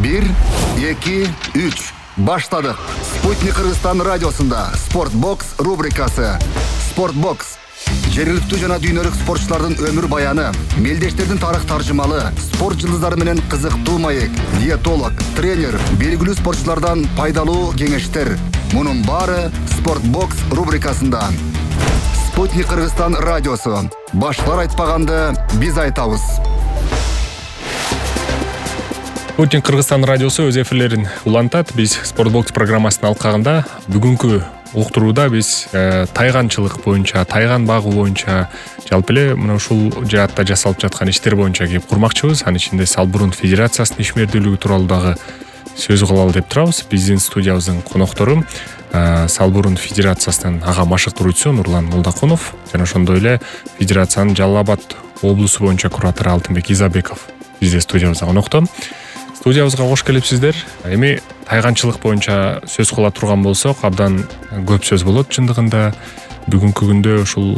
1, 2, 3. Баштадык. Спутник Кыргызстан радиосунда Спортбокс рубрикасы. Спортбокс. Жергиликтүү жана дүйнөлүк спортчулардын өмүр баяны, мелдештердин тарых таржымалы, спорт жылдыздары менен кызыктуу маек, диетолог, тренер, белгилүү спортчулардан пайдалуу кеңештер. Мунун баары Спортбокс рубрикасында. Спутник Кыргызстан радиосу. Башлар айтпаганды биз айтабыз. Спутник Кыргызстан радиосу өз эфирлерин улантат. Биз Спортбокс программасынын алкагында бүгүнкү уктурууда биз тайганчылык боюнча, тайган багуу боюнча, жалпы эле мына ушул жаатта жасалып жаткан иштер боюнча кеп курмакчыбыз. Анын ичинде Салбурун Федерациясынын ишмердүүлүгү тууралуу дагы сөз кылалы деп турабыз. Биздин студиябыздын коноктору Салбурун Федерациясынын ага машыктыруучусу Нурлан Молдокунов жана ошондой эле Федерациянын Жалал Абад облусу боюнча куратору Алтынбек Изабеков бизде студиябызда конокто. Студиябызга кош келипсиздер. Эми тайганчылык боюнча сөз кыла турган болсок, абдан көп сөз болот чындыгында. Бүгүнкү күндө ушул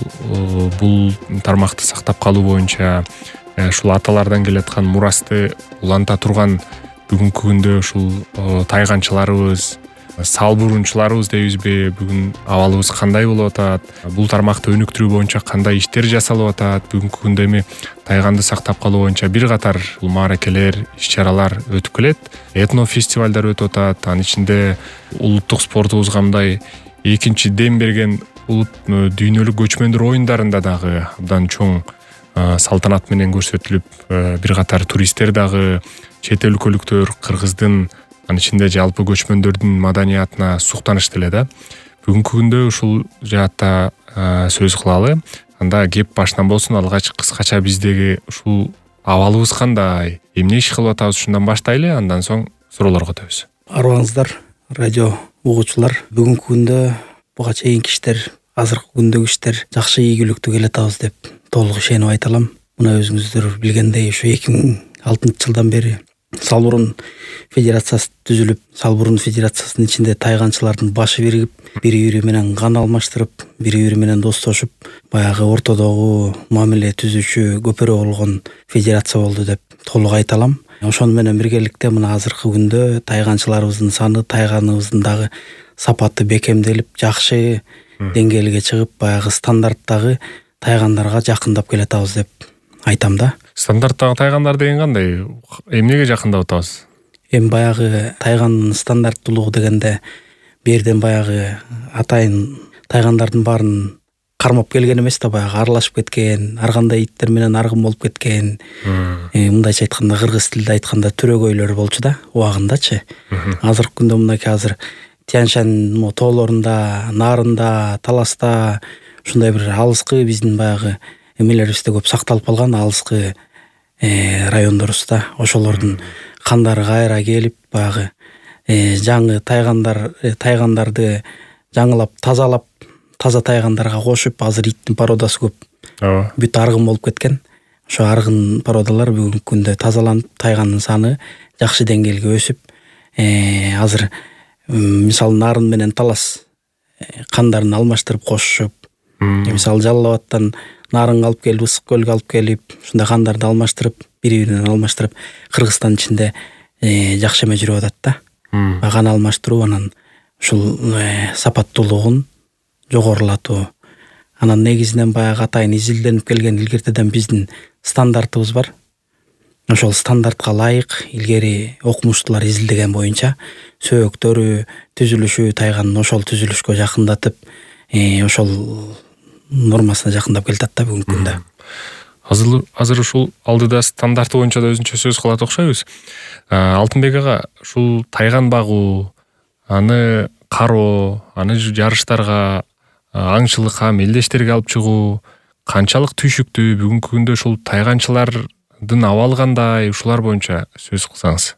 бул тармакты сактап калуу боюнча, ушул аталардан келаткан мурасты уланта турган бүгүнкү күндө ушул тайганчыларыбыз, салбурунчуларыбыз дейбизби, бүгүн абалыбыз кандай болуп атат, бул тармакты өнүктүрүү боюнча кандай иштер жасалып атат, бүгүнкү күндө эми тайганды сактап калуу боюнча бир катар мааракелер, иш-чаралар өтүп келет, этно фестивалдар өтүп атат. Анын ичинде улуттук спортубузга мындай экинчи дем берген дүйнөлүк көчмөндөр оюндарында дагы абдан чоң салтанат менен көрсөтүлүп, бир катар туристтер дагы, чет өлкөлүктөр кыргыздын, анын ичинде жалпы көчмөндөрдүн маданиятына суктанышты эле да. Бүгүнкү күндө ушул жаатта сөз кылалы. Анда кеп башынан болсун, алгач кыскача биздеги ушул абалыбыз кандай, эмне иш кылып атабыз, ушундан баштайлы, андан соң суроолорго өтөбүз. Арыбаңыздар, радио угуучулар. Бүгүнкү күндө буга чейинки иштер, азыркы күндөгү иштер жакшы ийгиликтүү келатабыз деп толук ишенип айта алам. Мына өзүңүздөр билгендей, ушу 2006 жылдан бери Салбурун Федерациясы түзүлүп, Салбурун Федерациясынын ичинде тайганчылардын башы биригип, бири-бири менен кан алмаштырып, бири-бири менен достошуп, баягы ортодогу мамиле түзүүчү көпөрө болгон федерация болду деп толук айта алам. Ошону менен биргеликте мына азыркы күндө тайганчыларыбыздын саны, тайганыбыздын дагы сапаты бекемделип, жакшы деңгээлге чыгып, баягы стандарттагы тайгандарга жакындап келатабыз деп айтам да. Стандарттагы тайгандар деген кандай? Эмнеге жакындап атабыз? Эми баягы тайгандын стандарттуулугу дегенде берден баягы атайын тайгандардын баарын кармап келген эмес да, баягы аралашып кеткен, ар кандай иттер менен аргын болуп кеткен. Мындайча айтканда, кыргыз тилде айтканда төрөгөйлөр болчу да, убагындачы. Азыркы күндө мынакей азыр Тянь-Шань тоолорунда, Нарында, Таласта ушундай бир алыскы биздин баягы эмелерибизде көп сакталып калган алыскы райондорубузда, ошолордун кандары кайра келип, баягы жаңы тайгандарды жаңылап, тазалап, таза тайгандарга кошуп, азыр иттин породасы көп. Бүт аргын болуп кеткен. Ошо аргын породалар бүгүнкү күндө тазаланып, тайгандын саны жакшы деңгээлге өсүп, азыр мисалы Нарын менен Талас кандарын алмаштырып кошушуп, мисалы Жалал Абадтан Нарын алып келип, Ысык көлгө алып келип, ушундай кандарды алмаштырып, бири-биринен алмаштырып, Кыргызстан ичинде жакшы эме жүрүп атат да. Кан алмаштыруу, анан ушул сапаттуулугун жогорулатуу. Анан негизинен баягы атайын изилденип келген илгертеден биздин стандартыбыз бар. Ошол стандартка ылайык илгери окумуштуулар изилдеген боюнча сөөктөрү, түзүлүшү тайганын ошол түзүлүшкө жакындатып, ошол нормасына жакындап келатат да бүгүнкү күндө. Азыр ушул алдыда стандарты боюнча да өзүнчө сөз кылат окшойбуз. Алтынбек ага, ушул тайган багуу, аны кароо, аны жарыштарга, аңчылыкка, мелдештерге алып чыгуу канчалык түйшүктүү? Бүгүнкү күндө ушул тайганчылардын абалы кандай? Ушулар боюнча сөз кылсаңыз.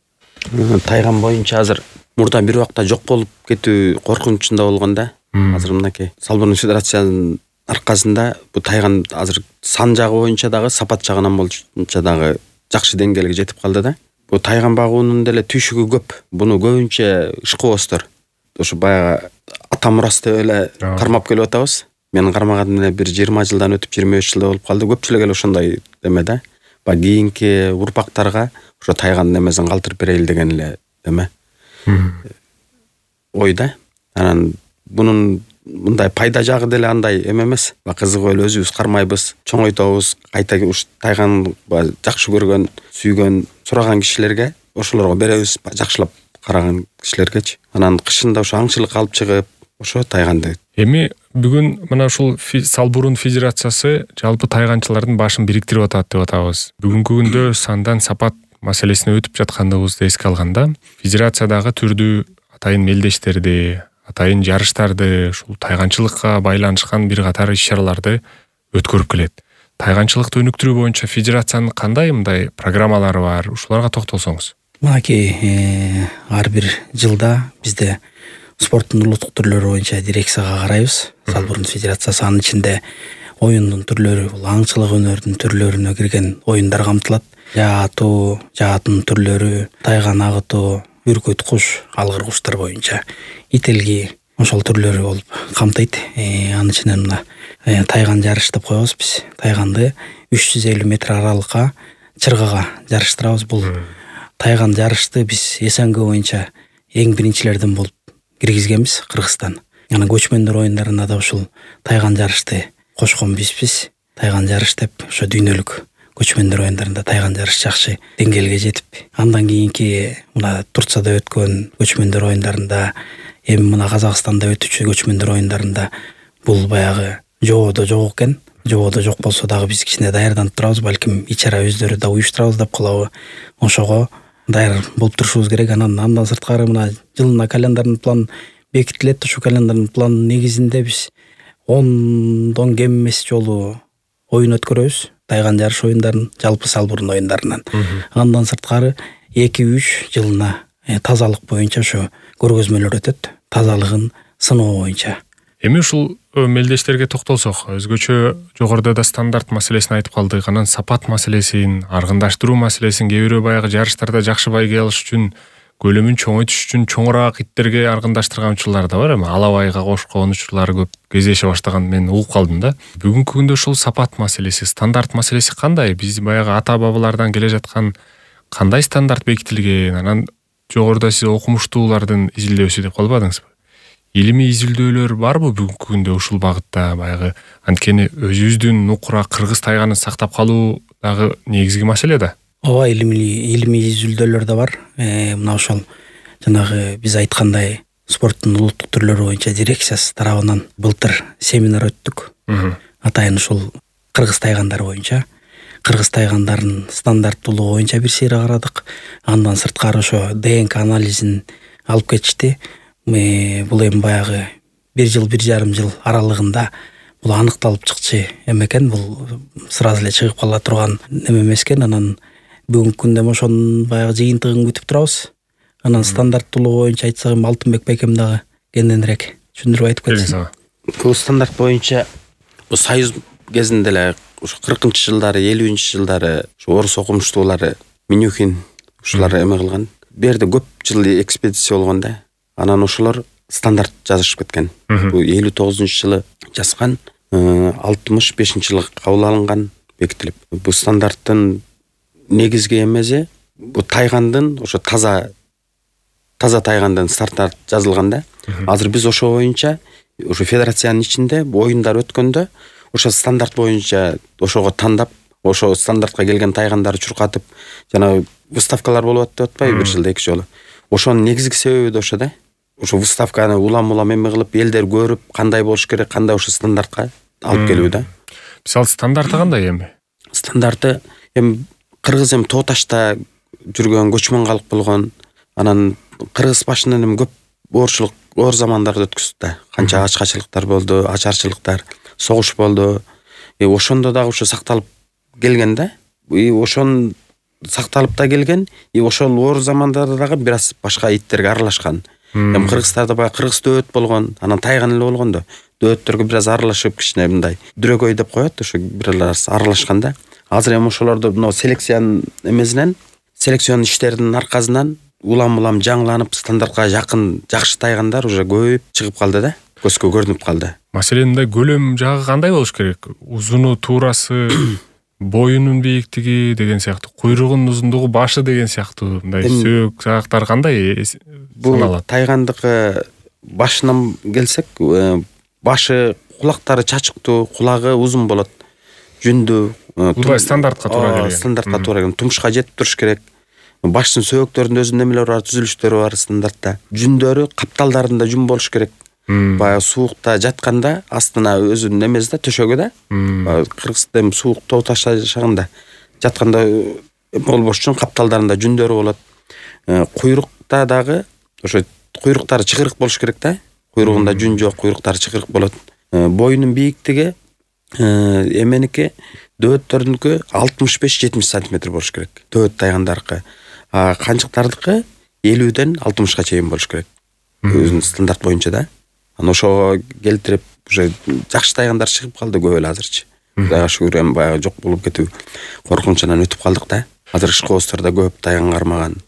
Тайган боюнча азыр мурда бир убакта жок болуп кетүү коркунучунда болгон да. Азыр мынакей Салбурун Федерациянын аркасында бу тайган азыр сан жагы боюнча дагы, сапат жагынан боюнча дагы жакшы деңгээлге жетип калды да. Бу тайган багуунун деле түйшүгү көп. Буну көбүнчө ышкыбоздор ошо баягы ата мурасты эле кармап келип атабыз. Мен кармаганым эле бир 20 жылдан өтүп 25 жылда болуп калды. Көпчүлүк эле ошондой эме да. баягы кийинки урпактарга ошо тайгандын эмесин калтырып берели деген эле эме ой да. Анан мунун мындай пайда жагы деле андай эме эмес. Кызыгып эле өзүбүз кармайбыз, чоңойтобуз, кайта ушу тайган жакшы көргөн, сүйгөн, сураган кишилерге ошолорго беребиз, жакшылап караган кишилергечи. Анан кышында ошо аңчылыкка алып чыгып, ошо тайганды. Эми бүгүн мына ушул Салбурун Федерациясы жалпы тайганчылардын башын бириктирип атат деп атабыз. Бүгүнкү күндө сандан сапат маселесине өтүп жаткандыгыбызды эске алганда, федерациядагы түрдүү атайын мелдештерди, атайын жарыштарды, ушул тайганчылыкка байланышкан бир катар иш-чараларды өткөрүп келет. Тайганчылыкты өнүктүрүү боюнча федерациянын кандай мындай программалары бар? Ушуларга токтолсоңуз. Мынакей ар бир жылда бизде спорттун улуттук түрлөрү боюнча дирекцияга карайбыз. Салбурун Федерациясы анын ичинде оюндун түрлөрү, бул аңчылык өнөрүнүн түрлөрүнө кирген оюндар камтылат. Жаатуу, жаатын түрлөрү, тайган агытуу, бүркүт куш, алгыр куштар боюнча ителги ошол түрлөрү болуп камтыйт. Анын ичинен мына тайган жарыш деп коебуз биз. Тайганды 350 метр аралыкка чыргага жарыштырабыз. Бул тайган жарышты биз СНГ боюнча эң биринчилерден болуп киргизгенбиз, Кыргызстан. Анан көчмөндөр оюндарына да ушул тайган жарышты кошкон бизбиз. Тайган жарыш деп ошо дүйнөлүк көчмөндөр оюндарында тайган жарыш жакшы деңгээлге жетип, андан кийинки мына Турцияда өткөн көчмөндөр оюндарында, эми мына Казакстанда өтүчү көчмөндөр оюндарында бул баягы жободо жок экен. Жободо жок болсо дагы биз кичине даярданып турабыз, балким ичара өздөрү да уюштурабыз деп калабы. Ошого даяр болуп турушубуз керек. Андан сырткары мына жылына календардын план бекитилет. Ошо календардын планынын негизинде биз 10дон кем эмес жолу оюн өткөрөбүз. Тайган жарыш оюндарын, жалпы Салбурун оюндарынан. Андан сырткары 2-3 жылына тазалык боюнча ошо көргөзмөлөр өтөт. Тазалыгын сыноо боюнча. Эми ушул мелдештерге токтолсок, өзгөчө жогоруда да стандарт маселесин айтып калдык. Анан сапат маселесин, аргындаштыруу маселесин, кээ бирөө баягы жарыштарда жакшы байге алыш үчүн, көлөмүн чоңойтуш үчүн чоңураак иттерге аргындаштырган учурлар да бар. Эми алабайга кошкон учурлары көп кездеше баштаган мен угуп калдым да. Бүгүнкү күндө ушул сапат маселеси, стандарт маселеси кандай? Биз баягы ата бабалардан келе жаткан кандай стандарт бекитилген? Анан жогоруда сиз окумуштуулардын изилдөөсү деп калбадыңызбы? Илимий изилдөөлөр барбы бүгүнкү күндө ушул багытта? Баягы анткени өзүбүздүн нукура кыргыз тайганын сактап калуу дагы негизги маселе да. Ооба, илимий изилдөөлөр да бар. Мына ошол жанагы биз айткандай спорттун улуттук түрлөрү боюнча дирекциясы тарабынан былтыр семинар өттүк. Атайын ушул кыргыз тайгандары боюнча, кыргыз тайгандарынын стандарттуулугу боюнча бир сейре карадык. Андан сырткары ошо ДНК анализин алып кетишти. Бул эми баягы 1 жыл, 1,5 жыл аралыгында бул аныкталып чыкчы экен. Бул сразу эле чыгып кала турган эме эмес экен. Анан бүгүнкү күндө ошонун баягы жыйынтыгын күтүп турабыз. Анан стандарттуулугу боюнча айтсак, Алтынбек байкем дагы кенденирээк түшүндүрүп айтып кетсин. Бул стандарт боюнча союз кезинде эле ушу 40-жылдары, 50-жылдары ушу орус окумуштуулары Минюхин ушулар эме кылган. Берде көп жыл экспедиция болгон да. Анан ошолор стандарт жазышып кеткен. Бул 59-жылы жазган, 65-жылы кабыл алынган, бекитилип. Бул стандарттын негизги эмеси бул тайгандын ошо таза тайгандын стандарт жазылган да. Азыр биз ошо боюнча ошо федерациянын ичинде оюндар өткөндө ошо стандарт боюнча ошого тандап, ошо стандартка келген тайгандарды чуркатып, жана выставкалар болуп атты атпайбы, бир жылда 2 жолу. Ошонун негизги себеби да ошо да. Ошо выставканы улам эме кылып, элдер көрүп, кандай болуш керек, кандай ошо стандартка алып келүү да. Мисалы стандарты кандай эми? Стандарты эми кыргыз эми тоо ташта жүргөн, көчмөн калк болгон. Анан кыргыз башынан эми көп оорчулук, оор замандарды өткөздү да. Канча ачкачылыктар болду, ачарчылыктар, согуш болду. Ошондо дагы ошо сакталып келген да. Ошон сакталып да келген. Ошол оор замандарда дагы бир аз башка иттерге аралашкан. Эми кыргыздарда баягы кыргыз дөөт болгон, анан тайган эле болгон да. Дөөттөргө бир аз аралашып, кичине мындай дрөгөй деп коет, ошо бир аз аралашкан да. Азыр эми ошолорду мына селекциянын эмесинен, селекцион иштеринин аркасынан улам жаңыланып, стандартка жакын жакшы тайгандар уже көбөйүп чыгып калды да. Көзгө көрүнүп калды. Маселен мындай көлөм жагы кандай болуш керек? Узуну, туурасы боюнун бийиктиги деген сыяктуу, куйругунун узундугу, башы деген сыяктуу мындай сөөк саактар кандай саналат? Тайгандыкы башынан келсек, башы, кулактары чачыктуу, кулагы узун болот, жүндүү. Бул стандартка туура келген. Стандартка туура келген. Тумушка жетип туруш керек. Баштын сөөктөрүндө өзүнүн немелери бар, түзүлүштөрү бар стандартта. Жүндөрү капталдарында жүн болуш керек. Баягы суукта жатканда астына өзүнүн немесинде, төшөгү да. Кыргызда суук тоо ташта шагында жатканда болбош үчүн капталдарында жүндөрү болот. Куйрукта дагы ошо куйруктары чыгырык болуш керек да. Куйругунда жүн жок, куйруктары чыгырык болот. Боюнун бийиктиги эменики дөөттөрүнүкү 65-70 сантиметр болуш керек. Дөөт тайгандарыкы. Канчыктардыкы 50-ден 60-ка чейин болуш керек. Өзүнүн стандарт боюнча да. Анан ошого келтирип уже жакшы тайгандар чыгып калды көп эле азырчы. Кудайга шүгүр, эми баягы жок болуп кетүү коркунучунан өтүп калдык да. Азыр ишкоозтордо көп тайган кармаган.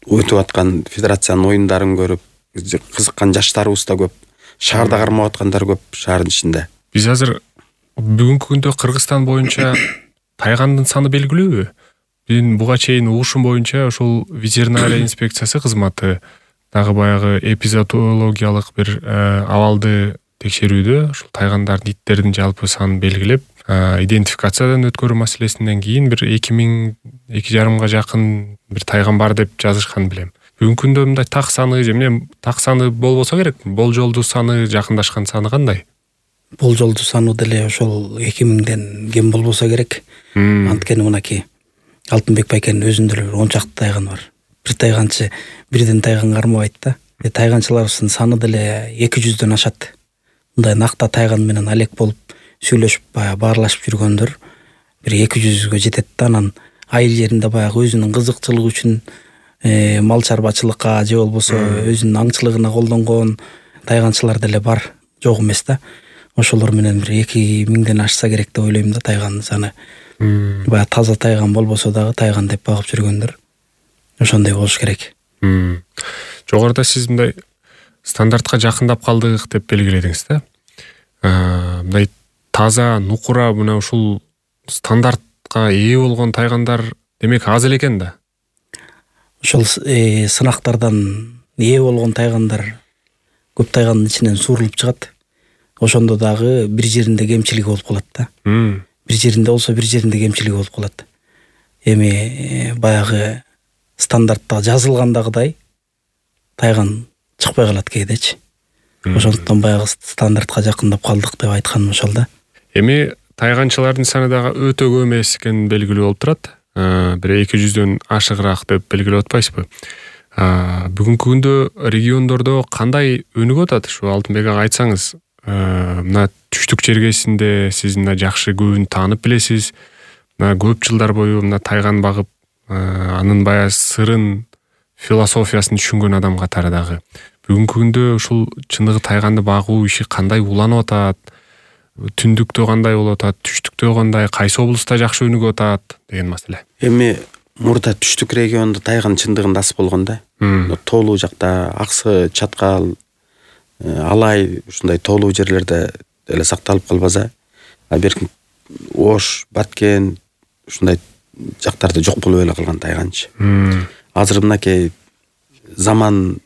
Өтүп аткан федерациянын оюндарын көрүп кызыккан жаштарыбыз да көп. Шаарда кармап аткандар көп, шаардын ичинде. Биз азыр бүгүнкү күндө Кыргызстан боюнча тайгандын саны белгилүүбү? Мен буга чейин угушум боюнча ошол ветеринария инспекциясы кызматы дагы баягы эпизоотологиялык бир абалды текшерүүдө ушул тайгандардын, иттердин жалпы санын белгилеп, идентификациядан өткөрүү маселесинен кийин бир 2,5 жакын бир тайган бар деп жазышкан билем. Бүгүнкү күндө мындай так саны же эмне так саны болбосо керек, болжолдуу саны, жакындашкан саны кандай? Болжолдуу саны деле ошол 2000ден кем болбосо керек. Анткени мынакей Алтынбек байкенин өзүндө эле 10 чакты тайган бар. Бир тайганчы бирден тайган кармабайт да. Тайганчыларыбыздын саны деле 200дөн ашат. Мындай накта тайган менен алек болуп сүйлөшүп, баягы баарлашып жүргөндөр бир 200гө жетет да. Анан айыл жеринде баягы өзүнүн кызыкчылыгы үчүн мал чарбачылыкка же болбосо өзүнүн аңчылыгына колдонгон тайганчылар деле бар, жок эмес да. Ошолор менен бир 2000ден ашса керек деп ойлойм да тайгандын саны. Баягы таза тайган болбосо дагы тайган деп багып жүргөндөр ошондой болуш керек. Жогоруда сиз мындай стандартка жакындап калдык деп белгиледиңиз да. Мындай таза, нукура мына ушул стандартка ээ болгон тайгандар демек аз эле экен да. Ошол сынактардан ээ болгон тайгандар көп тайгандын ичинен суурулуп чыгат. Ошондо дагы бир жеринде кемчилиги болуп калат да. Бир жеринде болсо бир жеринде кемчилиги болуп калат. Эми баягы стандартта жазылгандагыдай тайган чыкпай калат кээдечи. Ошондуктан баягы стандартка жакындап калдык деп айтканым ошол да. Эми тайганчылардын саны дагы өтө көп эмес экени белгилүү болуп турат. Бир 200дөн ашыгыраак деп белгилеп атпайсызбы? Бүгүнкү күндө региондордо кандай өнүгүп атат? Ушу Алтынбек ага айтсаңыз. Мына түштүк жергесинде сиз мына жакшы көбүн таанып билесиз. Мына көп жылдар бою мына тайган багып, анын баягы сырын, философиясын түшүнгөн адам катары дагы. Бүгүнкү күндө ушул чындыгы тайганды багуу иши кандай уланып атат? Түндүктө кандай болуп атат? Түштүктө кандай? Кайсы облуста жакшы өнүгүп атат деген маселе. Эми мурда түштүк региондо тайган чындыгында аз болгон да. Тоолуу жакта Аксы, Чаткал, Алай ушундай тоолуу жерлерде эле сакталып калбаса, берки Ош, Баткен ушундай жактарда жок болуп эле калган тайганчы. Азыр мынакей заман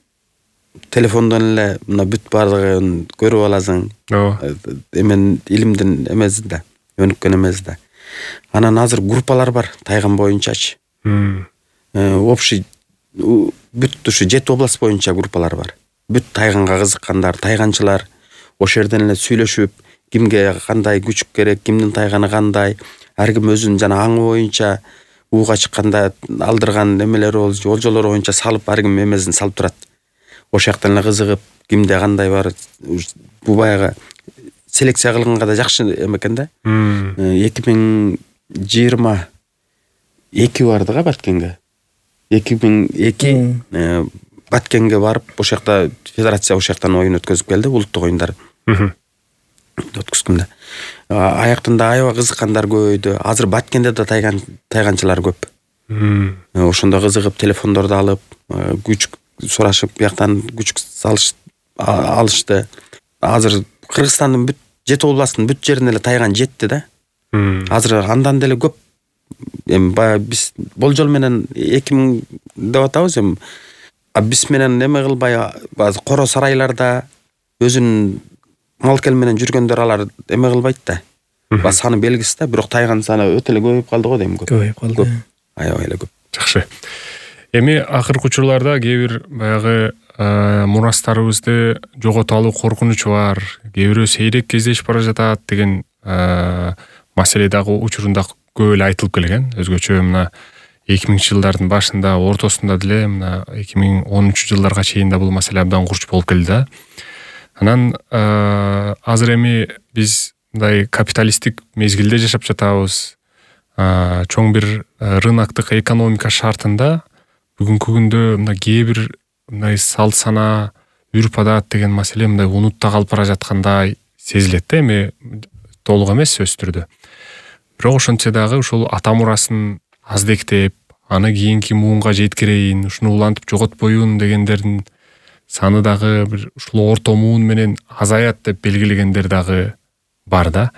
телефондон эле мына бүт баардыгын көрүп аласың. Эмен илимдин эмеси да, өнүккөн эмеси да. Анан азыр группалар бар тайган боюнчачы. Общий бүт ушу 7 область боюнча группалар бар. Бүт тайганга кызыккандар, тайганчылар ошол жерден эле сүйлөшүп, кимге кандай күчүк керек, кимдин тайганы кандай, ар ким өзүнүн жана аңы боюнча ууга чыкканда алдырган немелери болчу, олжолору боюнча салып, ар ким эмесин салып турат. Ошол жактан эле кызыгып, кимде кандай бар, бу баягы селекция кылганга да жакшы экен да. 2022 барды го Баткенге. 2002 Баткенге барып, ошол жакта федерация ошол жактан оюн өткөзүп келди, улуттук оюндар. Өткөзгөндө. Аяктан да аябай кызыккандар көбөйдү. Азыр Баткенде да тайганчылар көп. Ошондо кызыгып, телефондорду алып, күчүк сурашып, бияктан күчүк алышты. Азыр Кыргызстандын бүт 7 областтын бүт жерине эле тайган жетти да. Азыр андан деле көп эми баягы биз болжол менен 2000 деп атабыз эми. Биз менен эме кылбай базы коро сарайларда өзүнүн малкел менен жүргөндөр алар эме кылбайт да. Ба саны белгисиз да, бирок тайган саны өтө эле көбөйүп калды го дейм. Көбөйүп калды. Аябай эле көп. Жакшы. Эми акыркы учурларда кээ бир баягы мурастарыбызды жоготолу коркунуч бар, кээ бирөө сейрек кездешип бара жатат деген маселе дагы учурунда көп эле айтылып келген. Өзгөчө мына 2000-жылдардын башында, ортосунда деле мына 2013-жылдарга чейин да бул маселе абдан курч болуп келди да. Анан азыр эми биз мындай капиталисттик мезгилде жашап жатабыз. Чоң бир рыноктук экономика шартында бүгүнкү күндө мына кээ бир мындай салт сана, үрп адат деген маселе мындай унутта калып бара жаткандай сезилет да. Эми толук эмес сөзсүз түрдө. Бирок ошентсе дагы ушул ата мурасын аздектеп, аны кийинки муунга жеткирейин, ушуну улантып жоготпоюн дегендердин саны дагы бир ушул орто муун менен азаят деп белгилегендер дагы бар да.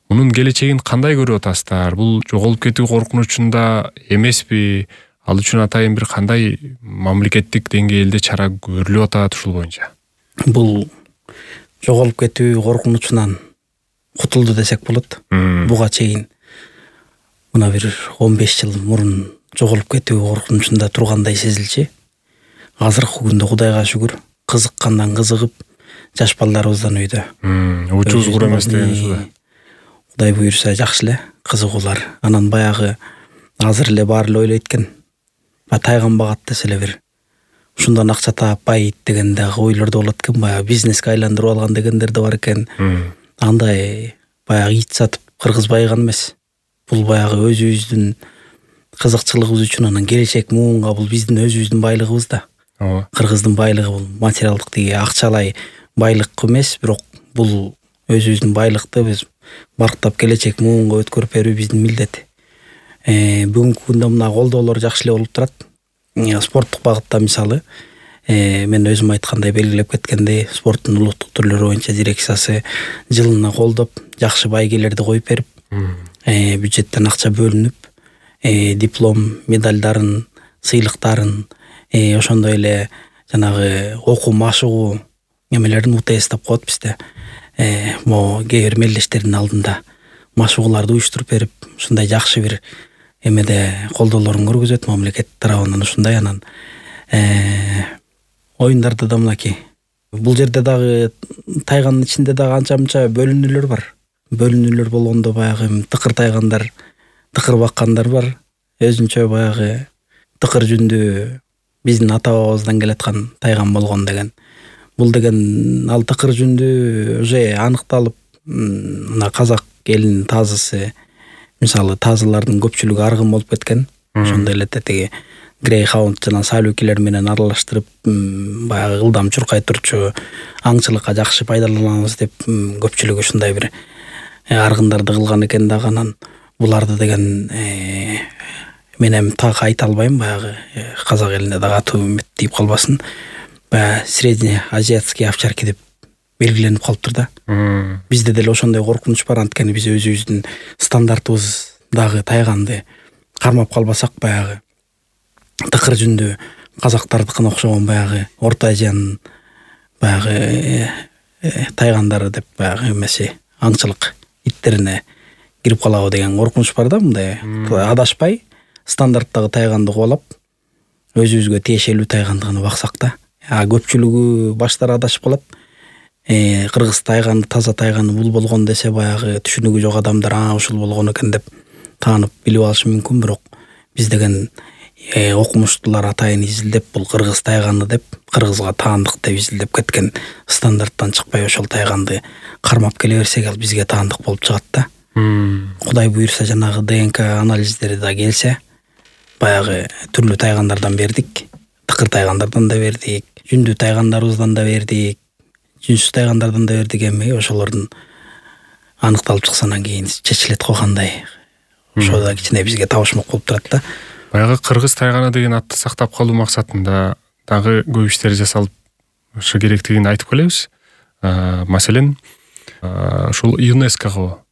Мунун келечегин кандай көрүп атасыздар? Бул жоголуп кетүү коркунучунда эмеспи? Ал үчүн атайын бир кандай мамлекеттик деңгээлде чара көрүлүп атат ушул боюнча? Бул жоголуп кетүү коркунучунан кутулду десек болот. Буга чейин мына бир 15 жыл мурун жоголуп кетүү коркунучунда тургандай сезилчү. Азыркы күндө Кудайга шүгүр, кызыккандан кызыгып, жаш балдарыбыздан үйдө. Учуз кур эмес деген ушул. Кудай буйрса жакшы эле кызыгуулар. Анан баягы азыр эле баары эле ойлойт экен. Тайган багат десе эле бир ушундан акча таап байыйт деген дагы ойлордо болот экен. Баягы бизнеске айландырып алган дегендер да бар экен. Андай баягы ит сатып кыргыз байыган эмес. Бул баягы өзүбүздүн кызыкчылыгыбыз үчүн, анан келечек муунга бул биздин өзүбүздүн байлыгыбыз да. Кыргыздын байлыгы бул материалдык тиги акчалай байлык эмес, бирок бул өзүбүздүн байлыкты биз барктап келечек муунга өткөрүп берүү биздин милдет. Бүгүнкү күндө мына колдоолор жакшы эле болуп турат. Спорттук багытта мисалы мен өзүм айткандай, белгилеп кеткендей, спорттун улуттук түрлөрү боюнча дирекциясы жылына колдоп, жакшы байгелерди коюп берип, бюджеттен акча бөлүнүп, диплом, медальдарын, сыйлыктарын, ошондой эле жанагы окуу машыгуу эмелерин УТС деп коет бизде. Кээ бир мелдештердин алдында машыгууларды уюштуруп берип, ушундай жакшы бир эмеде колдоолорун көргөзөт мамлекет тарабынан ушундай. Анан оюндарда да мынакей. Бул жерде дагы тайганын ичинде дагы анча-мынча бөлүнүүлөр бар. Бөлүнүүлөр болгондо баягы тыкыр тайгандар, тыкыр баккандар бар. Өзүнчө баягы тыкыр жүндүү биздин ата бабабыздан келаткан тайган болгон деген. Бул деген ал тыкыр жүндүү уже аныкталып, мына казак элинин тазысы, мисалы тазылардын көпчүлүгү аргын болуп кеткен. Ошондой эле тетиги грейхаунд жана салюкилер менен аралаштырып, баягы ылдам чуркай турчу аңчылыкка жакшы пайдаланабыз деп көпчүлүгү ушундай бир аргындарды кылган экен дагы. Анан буларды деген мен эми так айта албайм, баягы казак элине дагы аты тиип калбасын. Баягы среднеазиатский овчарки деп белгиленип калыптыр да. Бизде деле ошондой коркунуч бар, анткени биз өзүбүздүн стандартыбыздагы тайганды кармап калбасак, баягы тыкыр жүндүү казактардыкына окшогон баягы Орто Азиянын баягы тайгандары деп баягы эмеси аңчылык иттерине кирип калабы деген коркунуч бар да. Мындай адашпай стандарттагы тайганды кубалап өзүбүзгө тиешелүү тайгандыгын баксак да. Көпчүлүгү баштары адашып калат. Кыргыз тайганы, таза тайганы бул болгон десе, баягы түшүнүгү жок адамдар ушул болгон экен деп таанып билип алышы мүмкүн. Бирок биз деген окумуштуулар атайын изилдеп, бул кыргыз тайганы деп, кыргызга таандык деп изилдеп кеткен стандарттан чыкпай ошол тайганды кармап келе берсек, ал бизге таандык болуп чыгат да. Кудай буйрса жанагы ДНК анализдери да келсе, баягы түрлүү тайгандардан бердик, тыкыр тайгандардан да бердик, жүндүү тайгандарыбыздан да бердик, жүнсүз тайгандардан да бердик. Эми ошолордун аныкталып чыксанан кийин чечилет го кандай. Ошо да кичине бизге табышмак болуп турат да. Баягы кыргыз тайганы деген атты сактап калуу максатында дагы көп иштер жасалып керектигин айтып келебиз. Маселен, ушул ЮНЕСКОго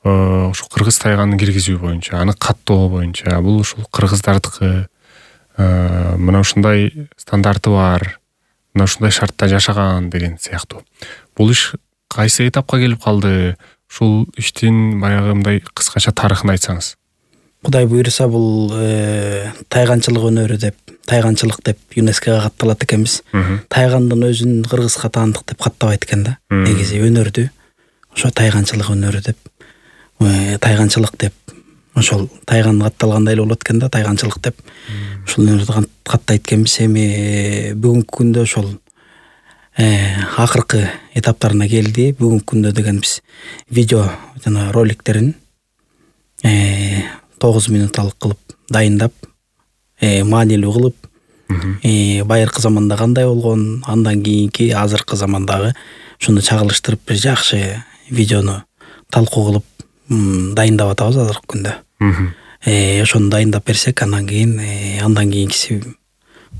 ушул кыргыз тайганын киргизүү боюнча, аны каттоо боюнча, бул ушул кыргыздардыкы, мына ушундай стандарты бар, мына ушундай шартта жашаган деген сыяктуу. Бул иш кайсы этапка келип калды? Ушул иштин баягы мындай кыскача тарыхын айтсаңыз. Кудай буйруса бул тайганчылык өнөрү деп, тайганчылык деп ЮНЕСКОга катталат экенбиз. Тайгандын өзүн кыргызга таандык деп каттабайт экен да. Негизи өнөрдү ошо тайганчылык өнөрү деп, тайганчылык деп, ошол тайган катталгандай эле болот экен да, тайганчылык деп. Ушул өнөрдү каттайт экенбиз. Эми бүгүнкү күндө ошол акыркы этаптарына келди. Бүгүнкү күндө деген биз видео жана роликтерин 9 минуталык кылып дайындап, маанилүү кылып, байыркы заманда кандай болгон, андан кийинки азыркы замандагы ушуну чагылыштырып бир жакшы видеону талкуу кылып дайындап атабыз азыркы күндө. Ошону дайындап берсек, андан кийинкиси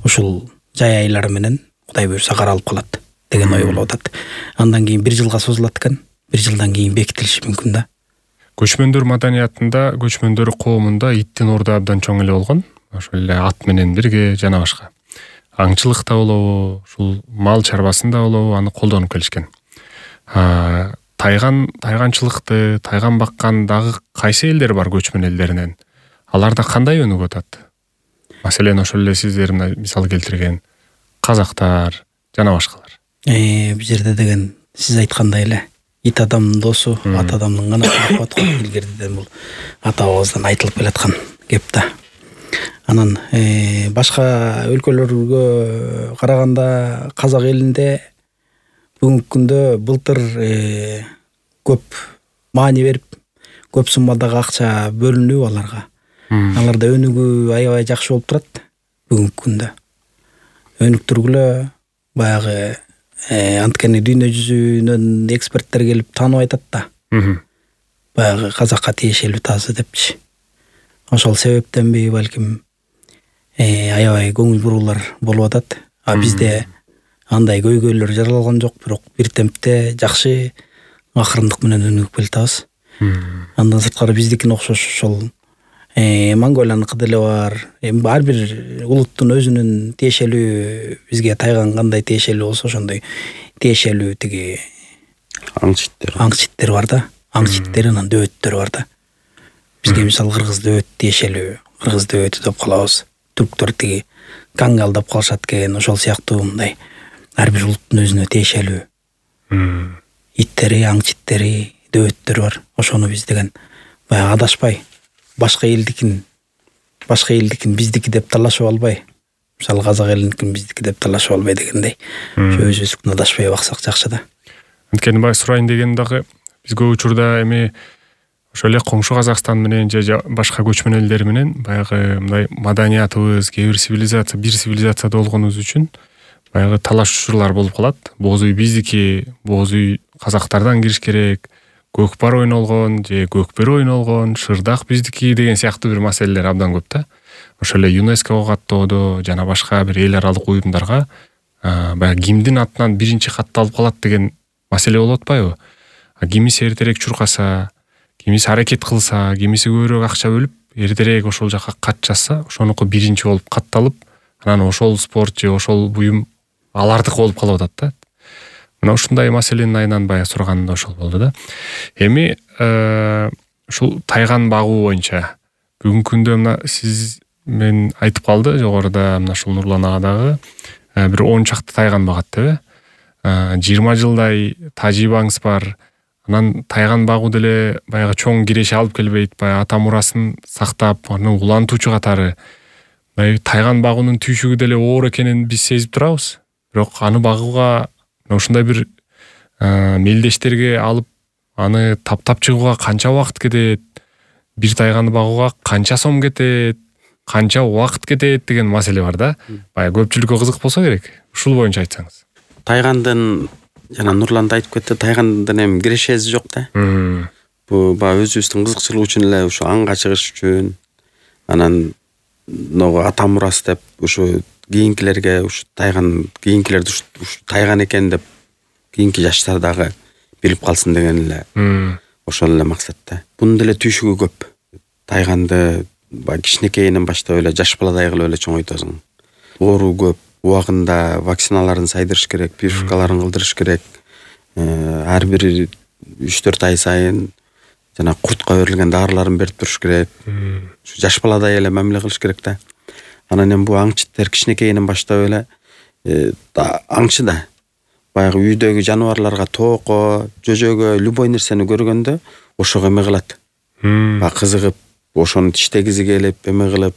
ушул жай айлары менен Кудай буйруса каралып калат деген ой болуп атат. Андан кийин 1 жылга созулат экен. 1 жылдан кийин бекитилиши мүмкүн да. Көчмөндөр маданиятында, көчмөндөр коомунда иттин орду абдан чоң эле болгон. Ошол эле ат менен бирге жана башка. Аңчылыкта болобу, ушул мал чарбасында болобу, аны колдонуп келишкен. Тайганчылыкты, тайган баккан дагы кайсы элдер бар көчмөн элдеринен? Аларда кандай өнүгүп атат? Маселен, ошол эле сиздер мисал келтирген казактар жана башкалар. Бул жерде деген сиз айткандай эле ит адамдын досу, ат адамдын канаты деп коет го. Илгериден бул ата-бабабыздан айтылып келаткан кеп да. Анан башка өлкөлөргө караганда казак элинде бүгүнкү күндө былтыр көп маани берип, көп суммадагы акча бөлүнүп аларга. Аларда өнүгүү аябай жакшы болуп турат бүгүнкү күндө. Өнүктүргүлө баягы анткени дүйнө жүзүнөн эксперттер келип таанып айтат да. Баягы казакка тиешелүү тазы депчи. Ошол себептенби балким аябай көңүл буруулар болуп атат. Бизде андай көйгөйлөр жаралган жок, бирок бир темпте жакшы акырындык менен өнүгүп келатабыз. Андан сырткары биздикине окшош ошол Монголияныкы деле бар. Ар бир улуттун өзүнүн тиешелүү, бизге тайган кандай тиешелүү болсо ошондой тиешелүү тиги аңчиттер бар да. Аңчиттер анан дөбөттөр бар да. Бизге мисал кыргыз дөбөт тиешелүү, кыргыз дөбөтү деп калабыз. Түрктөр тиги кангал деп калышат экен. Ошол сыяктуу мындай ар бир улуттун өзүнө тиешелүү иттери, аңчиттери, дөбөттөр бар. Ошону биз деген баягы адашпай башка элдикин биздики деп талашып албай, мисалы казак элиникин биздики деп талашып албай дегендей, өзүбүздүкүн адашпай баксак жакшы да. Анткени бай сурайын деген дагы биз көп учурда эми ошол эле коңшу Казакстан менен же башка көчмөн элдер менен баягы мындай маданиятыбыз, бир цивилизацияда болгонубуз үчүн баягы талаш учурлар болуп калат. Боз үй биздики, боз үй казактардан кириш керек, көкпар ойнолгон же көкбөр ойнолгон, шырдак биздики деген сыяктуу бир маселелер абдан көп да. Ошол эле ЮНЕСКОго каттоодо жана башка бир эл аралык уюмдарга баягы кимдин атынан биринчи катталып калат деген маселе болуп атпайбы? Кимиси эртерээк чуркаса, кимиси аракет кылса, кимиси көбүрөөк акча бөлүп, эртерээк ошол жака кат жазса, ошонуку биринчи болуп катталып, анан ошол спорт же ошол буюм алардык болуп калып атат да. Мына ушундай маселенин айынан баягы сураганым да ошол болду да. Эми ушул тайган багуу боюнча бүгүнкү күндө мына сиз мен айтып калды жогоруда, мына ушул Нурлан ага дагы бир 10 чакты тайган багат деп. 20 жылдай тажрыйбаңыз бар. Анан тайган багуу деле баягы чоң киреше алып келбейт, баягы ата мурасын сактап, аны улантуучу катары тайган багуунун түйшүгү деле оор экенин биз сезип турабыз. Бирок аны багууга ушундай бир мелдештерге алып, аны таптап чыгууга канча убакыт кетет, бир тайганды багууга канча сом кетет, канча убакыт кетет деген маселе бар да. Баягы көпчүлүккө кызык болсо керек. Ушул боюнча айтсаңыз. Тайгандын жана Нурлан да айтып кетти, тайгандын эми кирешеси жок да. Бул баягы өзүбүздүн кызыкчылык үчүн эле ушу аңга чыгыш үчүн, анан ногу ата мурасы деп ушу кийинкилерге ушу кийинкилерди ушу тайган экен деп кийинки жаштар дагы билип калсын деген эле ошол эле максат да. Бунун деле түйшүгү көп. Тайганды баягы кичинекейинен баштап эле жаш баладай кылып эле чоңойтосуң. Оору көп, убагында вакциналарын сайдырыш керек, прививкаларын кылдырыш керек. Ар бир 3-4 ай сайын жана куртка берилген дарыларын берип туруш керек. Жаш баладай эле мамиле кылыш керек да. Анан эми бул аңчыттар кичинекейинен баштап эле аңчы да баягы үйдөгү жаныбарларга тоокко, жөжөгө любой нерсени көргөндө ошого эме кылат. Баягы кызыгып, ошону тиштегизи келип, эме кылып,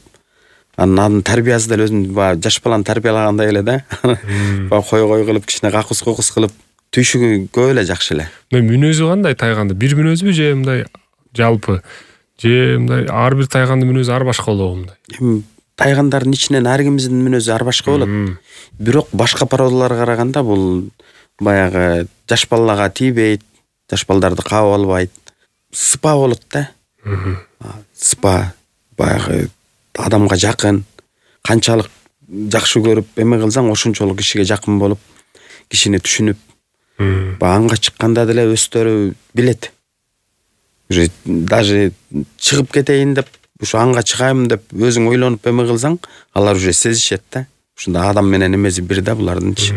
анын тарбиясы деле өзүн баягы жаш баланы тарбиялагандай эле да. Баягы кой кылып, кичине какус кылып, түйшүгү көп эле жакшы эле. Мүнөзү кандай тайганды? Бир мүнөзбү же мындай жалпы? Же мындай ар бир тайгандын мүнөзү ар башка болобу мындай? Эми тайгандардын ичинен ар кимдин мүнөзү ар башка болот. Бирок башка породаларга караганда бул баягы жаш балага тийбейт, жаш балдарды каап албайт. Сыпа болот да. Сыпа баягы адамга жакын, канчалык жакшы көрүп эме кылсаң ошончолук кишиге жакын болуп, кишини түшүнүп, аңга чыкканда деле өздөрү билет. Уже даже чыгып кетейин деп, ушу аңга чыгайм деп өзүң ойлонуп эме кылсаң, алар уже сезишет да. Ушунда адам менен эмеси бир да булардынчы.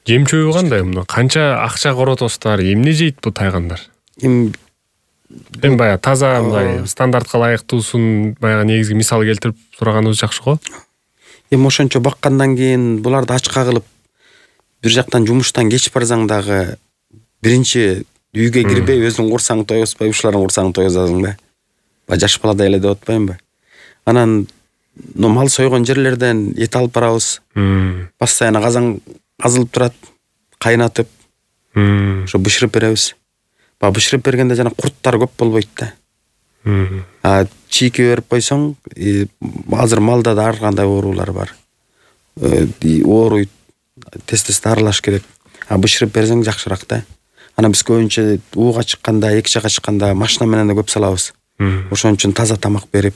Жем чөбү кандай мына? Канча акча коротосуздар? Эмне жейт бул тайгандар? Эми баягы таза мындай стандартка ылайыктуусун баягы негизги мисал келтирип сураганыбыз жакшы го. Эми ошончо баккандан кийин буларды ачка кылып бир жактан жумуштан кеч барсаң дагы биринчи үйгө кирбей өзүң курсаң тойгузбай, ушулардын курсаң тойгузасың да. Баягы жаш баладай эле деп атпаймынбы? Анан мал сойгон жерлерден эт алып барабыз. Постоянно казан казылып турат, кайнатып, ошо бышырып беребиз. Баягы бышырып бергенде жана курттар көп болбойт да. Чийки берип койсоң, азыр малда да ар кандай оорулар бар. Ооруйт, тез дарылаш керек. Бышырып берсең жакшыраак да. Анан биз көбүнчө ууга чыкканда, эки жакка чыкканда машина менен да көп салабыз. Ошон үчүн таза тамак берип,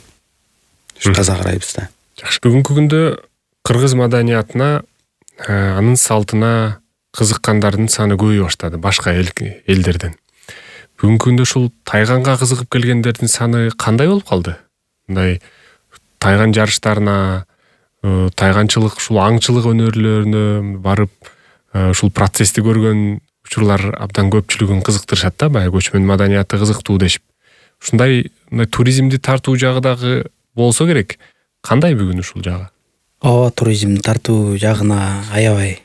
таза карайбыз да. Жакшы. Бүгүнкү күндө кыргыз маданиятына, анын салтына кызыккандардын саны көбөйө баштады башка элдерден. Бүгүнкү күндө ушул тайганга кызыгып келгендердин саны кандай болуп калды? Мындай тайган жарыштарына, тайганчылык, ушул аңчылык өнөрлөрүнө барып, ушул процессти көргөн учурлар абдан көпчүлүгүн кызыктырышат да, баягы көчмөн маданияты кызыктуу дешип. Ушундай туризмди тартуу жагы дагы болсо керек. Кандай бүгүн ушул жагы? Ооба, туризмди тартуу жагына аябай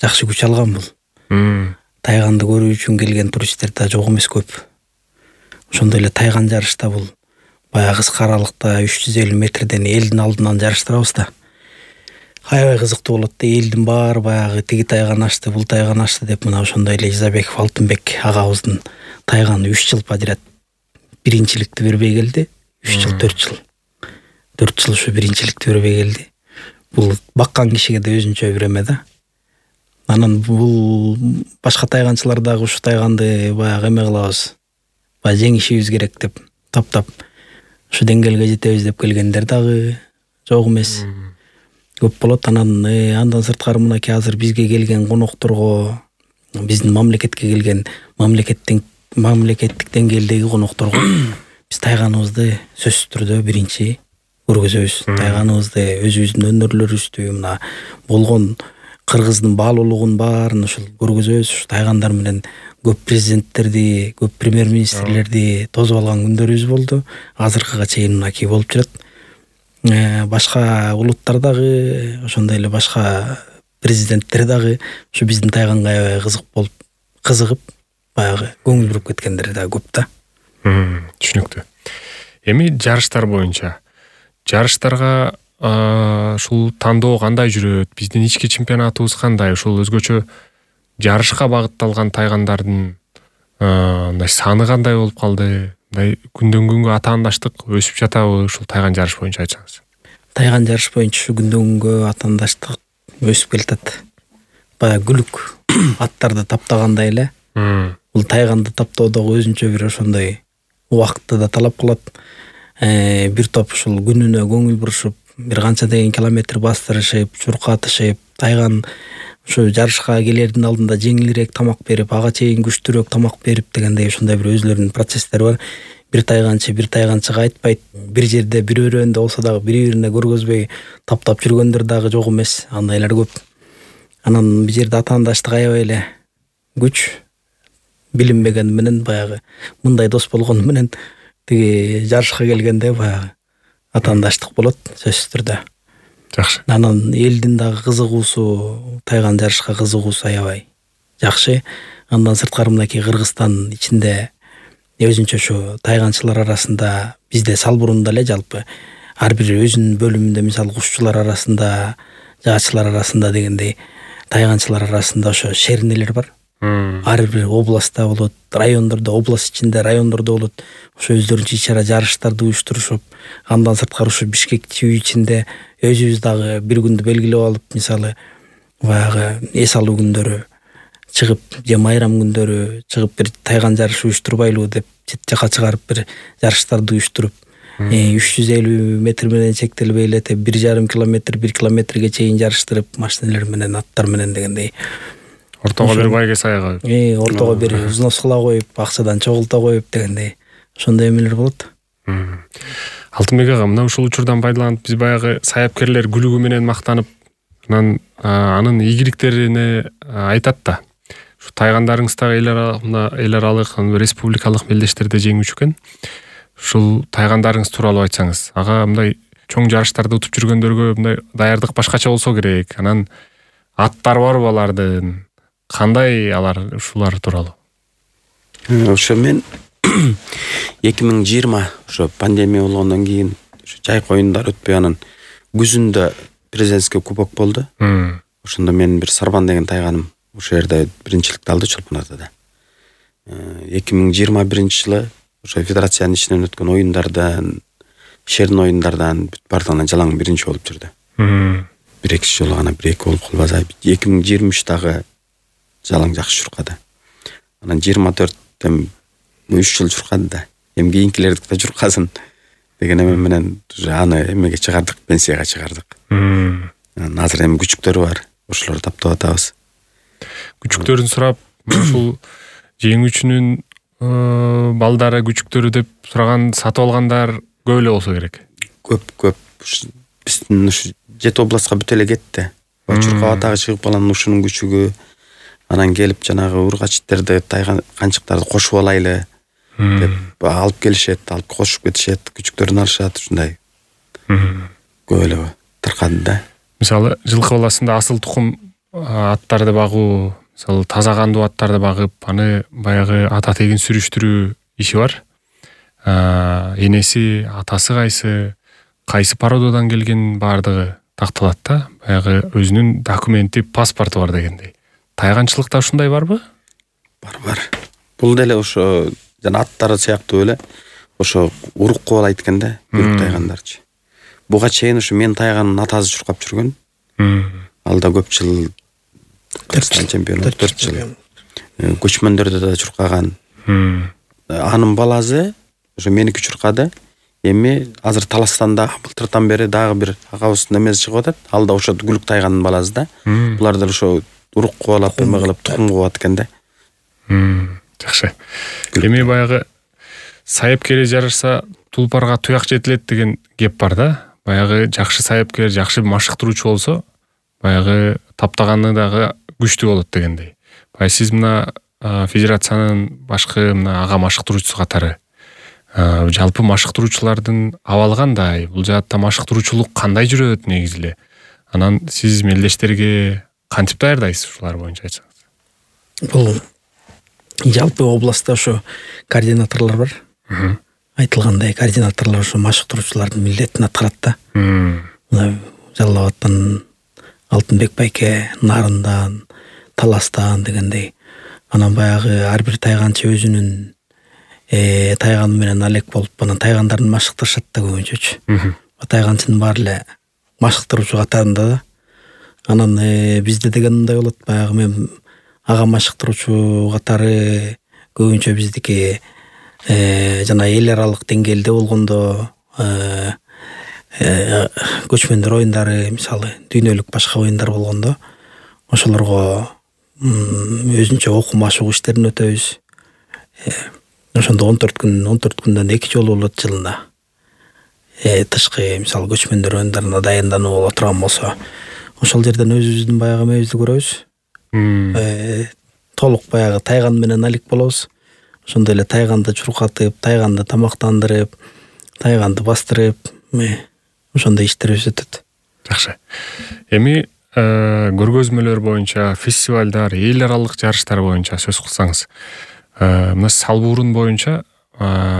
жакшы күч алган бул. Тайганды көрүү үчүн келген туристтер да жок эмес көп. Ошондой эле тайган жарышта бул баягы кыска аралыкта 350 метрден элдин алдынан жарыштырабыз да. Аябай кызыктуу болот да. Элдин баары баягы тиги тайган ашты, бул тайган ашты деп мына ошондой эле Изабеков Алтынбек агабыздын тайганы 3 жыл подряд биринчиликти бербей келди. 3 жыл, 4 жыл. 4 жыл ушу биринчиликти бербей келди. Бул баккан кишиге да өзүнчө бир эме да. Анан бул башка тайганчылар дагы ушу тайганды баягы эме кылабыз. Баягы жеңишибиз керек деп таптап ушу деңгээлге жетебиз деп келгендер дагы жок эмес. Көп болот. Андан сырткары мынакей азыр бизге келген конокторго, биздин мамлекетке келген мамлекеттик деңгээлдеги конокторго биз тайганыбызды сөзсүз түрдө биринчи көргөзөбүз. Тайганыбызды, өзүбүздүн өнөрлөрүбүздү, мына болгон кыргыздын баалуулугун баарын ушул көргөзөбүз. Ушу тайгандар менен көп президенттерди, көп премьер-министрлерди тосуп алган күндөрүбүз болду. Азыркыга чейин мынакей болуп жүрөт. Башка улуттар дагы, ошондой эле башка президенттер дагы ушу биздин тайганга аябай кызыгып, баягы көңүл буруп кеткендер дагы көп да. Түшүнүктүү. Эми жарыштар боюнча жарыштарга ушул тандоо кандай жүрөт? Биздин ички чемпионатыбыз кандай? Ушул өзгөчө жарышка багытталган тайгандардын саны кандай болуп калды? Күндөн күнгө атаандаштык өсүп жатабы ушул тайган жарыш боюнча айтсаңыз? Тайган жарыш боюнча ушу күндөн күнгө атаандаштык өсүп келатат. Баягы күлүк аттарды таптагандай эле. Бул тайганды таптоо дагы өзүнчө бир ошондой убакытты да талап кылат. Бир топ ушул күнүнө көңүл бурушуп, бир канча деген километр бастырышып, чуркатышып, тайган ушу жарышка келердин алдында жеңилирээк тамак берип, ага чейин күчтүүрөөк тамак берип дегендей ушундай бир өзлөрүнүн процесстери бар. Бир тайганчыга айтпайт. Бир жерде бир өрөөндө болсо дагы бири-бирине көргөзбөй таптап жүргөндөр дагы жок эмес. Андайлар көп. Анан бир жерде атаандаштык аябай эле күч билинбеген менен баягы мындай дос болгону менен тиги жарышка келгенде баягы атаандаштык болот сөзсүз түрдө. Жакшы. Анан элдин дагы кызыгуусу, тайган жарышка кызыгуусу аябай жакшы. Андан сырткары мынакей Кыргызстан ичинде өзүнчө ушу тайганчылар арасында бизде салбурунда эле жалпы ар бир өзүнүн бөлүмүндө мисалы кушчулар арасында, жаачылар арасында дегендей тайганчылар арасында ошо шернелер бар. Ар бир областта болот, райондордо, область ичинде райондордо болот. Ошо өздөрүнчө ич-чара жарыштарды уюштурушуп, андан сырткары ушу Бишкек ТВ ичинде өзүбүз дагы бир күндү белгилеп алып, мисалы баягы эс алуу күндөрү чыгып, же майрам күндөрү чыгып бир тайган жарышы уюштурбайлыбы деп чет жака чыгарып бир жарыштарды уюштуруп 350 метр менен чектелбей эле 1,5 километр, 1 километрге чейин жарыштырып, машиналар менен, аттар менен дегендей. Ортого бир байге саяга. Ортого бир взнос кыла коюп, акчадан чогулта коюп дегендей. Ошондой эмелер болот. Алтынбек ага, мына ушул учурдан пайдаланып биз баягы саяпкерлер күлүгү менен мактанып, анын ийгиликтерине айтат да. Ушу тайгандарыңыздагы эл аралык, республикалык мелдештерде жеңүүчү экен. Ушул тайгандарыңыз тууралуу айтсаңыз. Ага мындай чоң жарыштарды утуп жүргөндөргө мындай даярдык башкача болсо керек. Анан аттар барбы алардын? Кандай алар ушулар тууралуу? Ошо мен 2020 ошо пандемия болгондон кийин ошо жайкы оюндар өтпөй анан күзүндө президентский кубок болду. Ошондо мен бир Сарбан деген тайганым ошо жерде биринчиликти алды Чолпон Атада. 2021 жылы ошо федерациянын ичинен өткөн оюндардан, шерин оюндардан бүт бардыгынан жалаң биринчи болуп жүрдү. Бир-эки жолу гана бир-эки болуп калбаса, 2023-дагы жалаң жакшы чуркады. Анан 24-тен 3 жыл чуркады да. Эми кийинкилердик да чуркасын деген эме менен аны эмеге чыгардык, пенсияга чыгардык. Азыр эми күчүктөрү бар. Ошолорду таптап атабыз. Күчүктөрүн сурап, ушул жеңүүчүнүн балдары, күчүктөрү деп сураган, сатып алгандар көп эле болсо керек. Көп. Биздин ушу 7 областка бүт эле кетти. Чуркап атагы чыгып калган ушунун күчүгү анан келип жанагы ургачтарды, тайган канчыктарды кошуп алайлы деп алып келишет, алып кошуп кетишет, күчүктөрүн алышат, ушундай. Көп эле таркады да. Мисалы, жылкы баласында асыл тукум аттарды багуу, мисалы таза кандуу аттарды багып, аны баягы ата тегин сүрүштүрүү иши бар. Энеси, атасы кайсы порододан келген бардыгы такталат да. Баягы өзүнүн документи, паспорту бар дегендей. Тайганчылыкта ушундай барбы? Бар. Бул деле ошо жана аттары сыяктуу эле ошо урук кубалайт экен да, бүрк тайгандарчы. Буга чейин ушу мен тайганын атасы чуркап жүргөн. Ал да көп жыл Кыргызстан чемпиону, 4 жыл. Көчмөндөрдө да чуркаган. Анын баласы ошо меники чуркады. Эми азыр Таластанда былтыртан бери дагы бир агабыздын эмеси чыгып атат. Ал да ошо күлүк тайганын баласы да. Булар да ошо урук кубалап эме кылып тукум кубат экен да. Жакшы. Эми баягы саяпкер жарышса тулпарга туяк жетилет деген кеп бар да. Баягы жакшы саяпкер, жакшы машыктыруучу болсо, баягы таптаганы дагы күчтүү болот дегендей. Баягы сиз мына федерациянын башкы мына ага машыктыруучусу катары жалпы машыктыруучулардын абалы кандай? Бул жаатта машыктыруучулук кандай жүрөт негизи эле? Анан сиз мелдештерге кантип даярдайсыз ушулар боюнча айтсаңыз? Бул жалпы областта ошо координаторлор бар. Айтылгандай координаторлор ошо машыктыруучулардын милдетин аткарат да. Мына Жалал Абадтан Алтынбек байке, Нарындан, Таластан дегендей. Анан баягы ар бир тайганчы өзүнүн тайганы менен алек болуп, анан тайгандарын машыктырышат да көбүнчөчү. Тайганчынын баары эле машыктыруучу катарында да. Анан бизде деген мындай болот, баягы мен ага машыктыруучу катары көбүнчө биздики жана эл аралык деңгээлде болгондо көчмөндөр оюндары, мисалы дүйнөлүк башка оюндар болгондо ошолорго өзүнчө окуу машыгуу иштерин өтөбүз. Ошондо 14 күндөн 2 жолу болот жылына. Тышкы мисалы көчмөндөр оюндарына даяндануу боло турган болсо, ошол жерден өзүбүздүн баягы эмебизди көрөбүз. Толук баягы тайган менен алек болобуз. Ошондой эле тайганды чуркатып, тайганды тамактандырып, тайганды бастырып, ошондой иштерибиз өтөт. Жакшы. Эми көргөзмөлөр боюнча, фестивалдар, эл аралык жарыштар боюнча сөз кылсаңыз, мына салбурун боюнча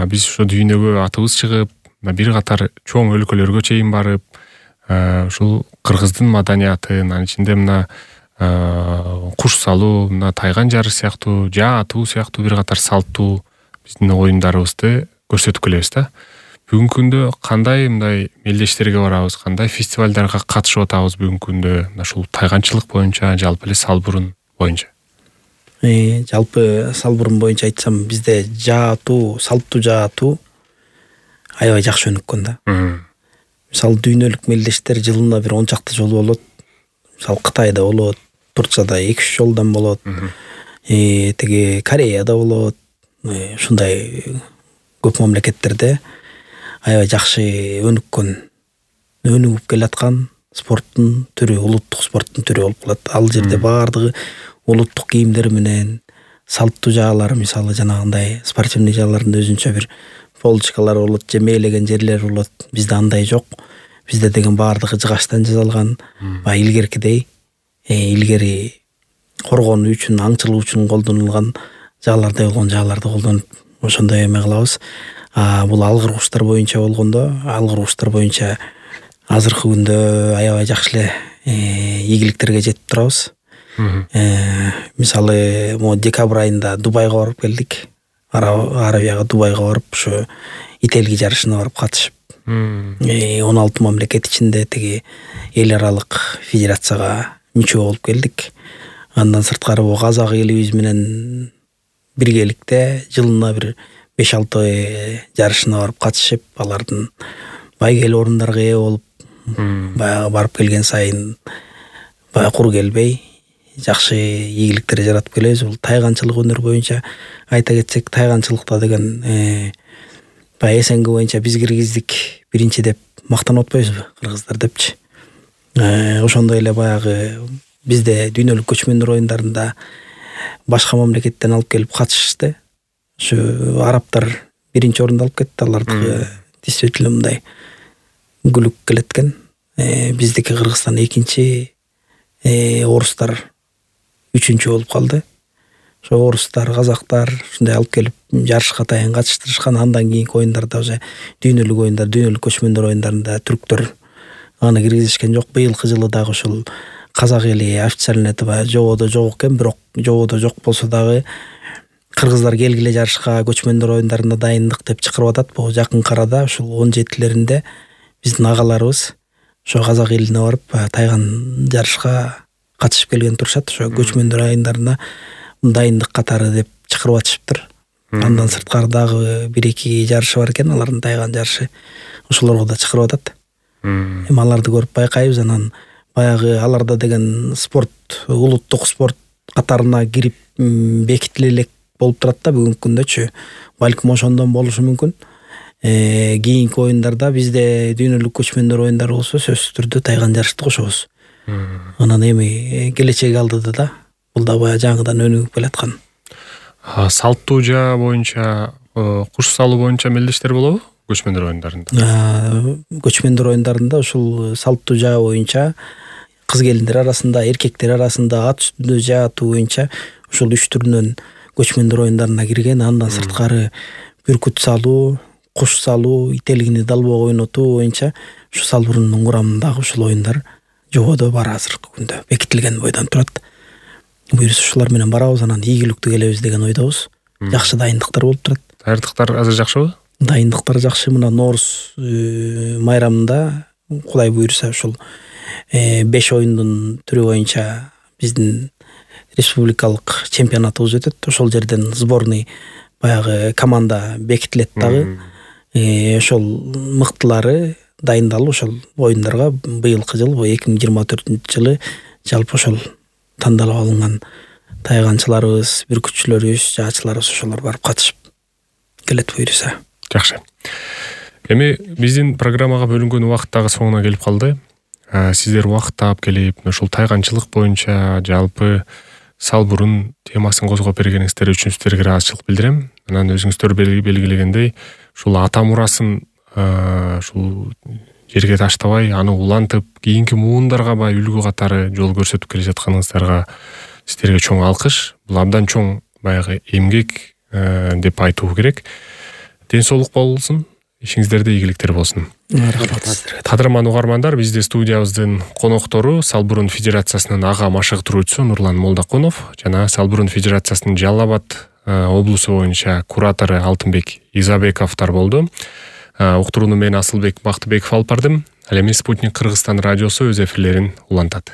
биз ошо дүйнөгө атыбыз чыгып, бир катар чоң өлкөлөргө чейин барып, ушул кыргыздын маданиятын, анын ичинде мына куш салуу, мына тайган жарыш сыяктуу, жаа атуу сыяктуу бир катар салттуу биздин оюндарыбызды көрсөтүп келебиз да. Бүгүнкү күндө кандай мындай мелдештерге барабыз, кандай фестивалдарга катышып атабыз бүгүнкү күндө, мына ушул тайганчылык боюнча, жалпы эле салбурун боюнча? Жалпы салбурун боюнча айтсам, бизде жаа атуу, салттуу жаа атуу аябай жакшы өнүккөн да. Мисалы дүйнөлүк мелдештер жылына бир 10 чакты жолу болот. Мисалы Кытайда болот, Турцияда 2-3 жолдан болот. Теги Кореяда болот. Ушундай көп мамлекеттерде аябай жакшы өнүгүп келаткан спорттун түрү, улуттук спорттун түрү болуп калат. Ал жерде баардыгы улуттук кийимдер менен, салттуу жаалар, мисалы жанагындай спортивный жааларында өзүнчө бир полочкалар болот, же мээлеген жерлер болот. Бизде андай жок. Бизде деген баардыгы жыгачтан жасалган, илгеркидей, илгери коргонуу үчүн, аңчылык үчүн колдонулган жаалардай болгон жааларды колдонуп, ошондой эме кылабыз. Бул алгыр куштар боюнча болгондо, алгыр куштар боюнча азыркы күндө аябай жакшы эле ийгиликтерге жетип турабыз. Мисалы, декабрь айында Дубайга барып келдик. Арабияга, Дубайга барып, ушу ителги жарышына барып катышып, 16 мамлекет ичинде теги эл аралык федерацияга мүчө болуп келдик. Андан сырткары казак элибиз менен биргеликте жылына бир 5-6 жарышына барып катышып, алардын байгел орундарга ээ болуп, баягы барып келген сайын кур келбей, жакшы ийгиликтер жаратып келебиз. Бул тайганчылык өнөр боюнча айта кетсек, тайганчылыкта деген баягы СНГ боюнча биз киргиздик биринчи деп мактанып атпайбызбы, кыргыздар депчи. Ошондой эле баягы бизде дүйнөлүк көчмөндөр оюндарында башка мамлекеттен алып келип катышышты. Ушу арабтар биринчи орунду алып кетти. Алардыкы действительно мындай күлүк келеткен. Биздики Кыргызстан экинчи, орустар үчүнчү болуп калды. Ошо орустар, казактар ушундай алып келип жарышка атайын катыштырышкан. Андан кийинки оюндарда уже дүйнөлүк оюндар, дүйнөлүк көчмөндөр оюндарында түрктөр аны киргизишкен жок. Быйылкы жылы дагы ушул казак эли официально жободо жок экен, бирок жободо жок болсо дагы кыргыздар келгиле жарышка, көчмөндөр оюндарына дайындык деп чакырып атат. Бул жакынкы арада ушул 17-леринде биздин агаларыбыз ошо казак элине барып тайган жарышка катышып келген турушат. Ошо көчмөндөр оюндарына дайындык катары деп чакырып атышыптыр. Андан сырткары дагы 1-2 жарышы бар экен, алардын тайган жарышы. Ошолорго да чакырып атат. Эми аларды көрүп байкайбыз. Анан баягы аларда деген спорт, улуттук спорт катарына кирип бекитиле элек болуп турат да бүгүнкү күндөчү. Балким ошондон болушу мүмкүн. Кийинки оюндарда бизде дүйнөлүк көчмөндөр оюндары болсо сөзсүз түрдө тайган жарышты кошобуз. Анан эми келечек алдыда да бул да баягы жаңыдан өнүгүп келаткан. Салттуу жаа боюнча, куш салуу боюнча мелдештер болобу көчмөндөр оюндарында? Көчмөндөр оюндарында ушул салттуу жаа боюнча кыз келиндер арасында, эркектер арасында ат үстүндө жаа атуу боюнча ушул 3 түрүнөн көчмөндөр оюндарына кирген. Андан сырткары бүркүт салуу, куш салуу, ителгини далбоого ойнотуу боюнча ушу салбурунун курамындагы ушул оюндар жободо бар азыркы күндө бекитилген бойдон турат. Буюрса ушулар менен барабыз, анан ийгиликтүү келебиз деген ойдобуз. Жакшы дайындыктар болуп турат. Даярдыктар азыр жакшыбы? Дайындыктар жакшы. Мына Норуз майрамында Кудай буйрса ушул 5 оюндун түрү боюнча биздин республикалык чемпионатыбыз өтөт. Ошол жерден сборный баягы команда бекитилет дагы. Ошол мыктылары дайындалып ошол оюндарга быйылкы жыл, 2024 жылы жалпы ошол тандалып алынган тайганчыларыбыз, бүркүтчүлөрүбүз, жаачыларыбыз ошолор барып катышып келет буюрса. Жакшы. Эми биздин программага бөлүнгөн убакыт дагы соңуна келип калды. Сиздер убакыт таап келип, ушул тайганчылык боюнча жалпы салбурун темасын козгоп бергениңиздер үчүн сиздерге ыраазычылык билдирем. Анан өзүңүздөр белгилегендей, ушул ата мурасын ушул жерге таштабай, аны улантып, кийинки муундарга бай үлгү катары жол көрсөтүп келе жатканыңыздарга сиздерге чоң алкыш. Бул абдан чоң баягы эмгек деп айтуу керек. Ден соолук болсун, ишиңиздерде ийгиликтер болсун. Рахмат сиздерге. Кадырман угармандар, бизде студиябыздын коноктору Салбурун Федерациясынын ага машыктыруучусу Нурлан Молдокунов жана Салбурун Федерациясынын Жалал Абад облусу боюнча куратору Алтынбек Изабековдор болду. Уктурууну мен Асылбек Бактыбеков алып бардым. Ал эми Спутник Кыргызстан радиосу өз эфирлерин улантат.